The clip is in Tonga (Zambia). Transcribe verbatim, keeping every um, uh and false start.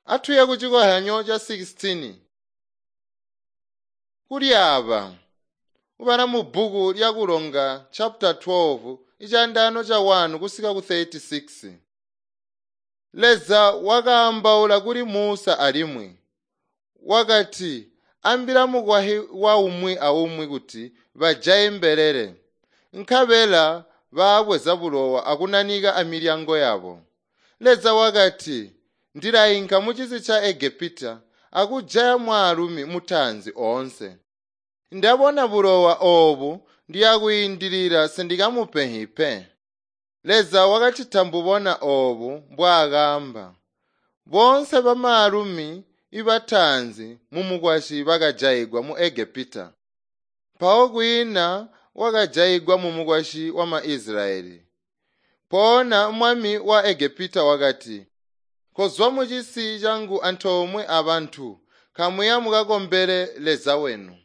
Atuye kucikozyanyo ca sixteen. Kulyaaba ubala mubbuku lya Kulonga chapter twelve icaandaano ca one kusika ku thirty-six. Leza wakaambaula kuli Musa alimwi wakati, ambila mukwasyi wa umwi aumwi kuti bajaye mbelele, nkabela baabweza bulowa akunanika amilyango yabo. Leza wakati, ndilainka mucisi ca Egepita akujaya mwaalumi mutaanzi oonse. Ndabona bulowa oobu ndiyakwiindilila sindikamupenhi pe. Leza wakacita mbubona oobu mbwaakaamba. Boonse bamaalumi ibataanzi mumukwasyi bakajayigwa mu Egepita. Mpawo kwiina wakajayigwa mumukwasyi wa Maisilayeli. Mpoona mwami wa Egepita wakati, kozwa mucisi cangu antoomwe abantu, kamuya mukakombele Leza wenu.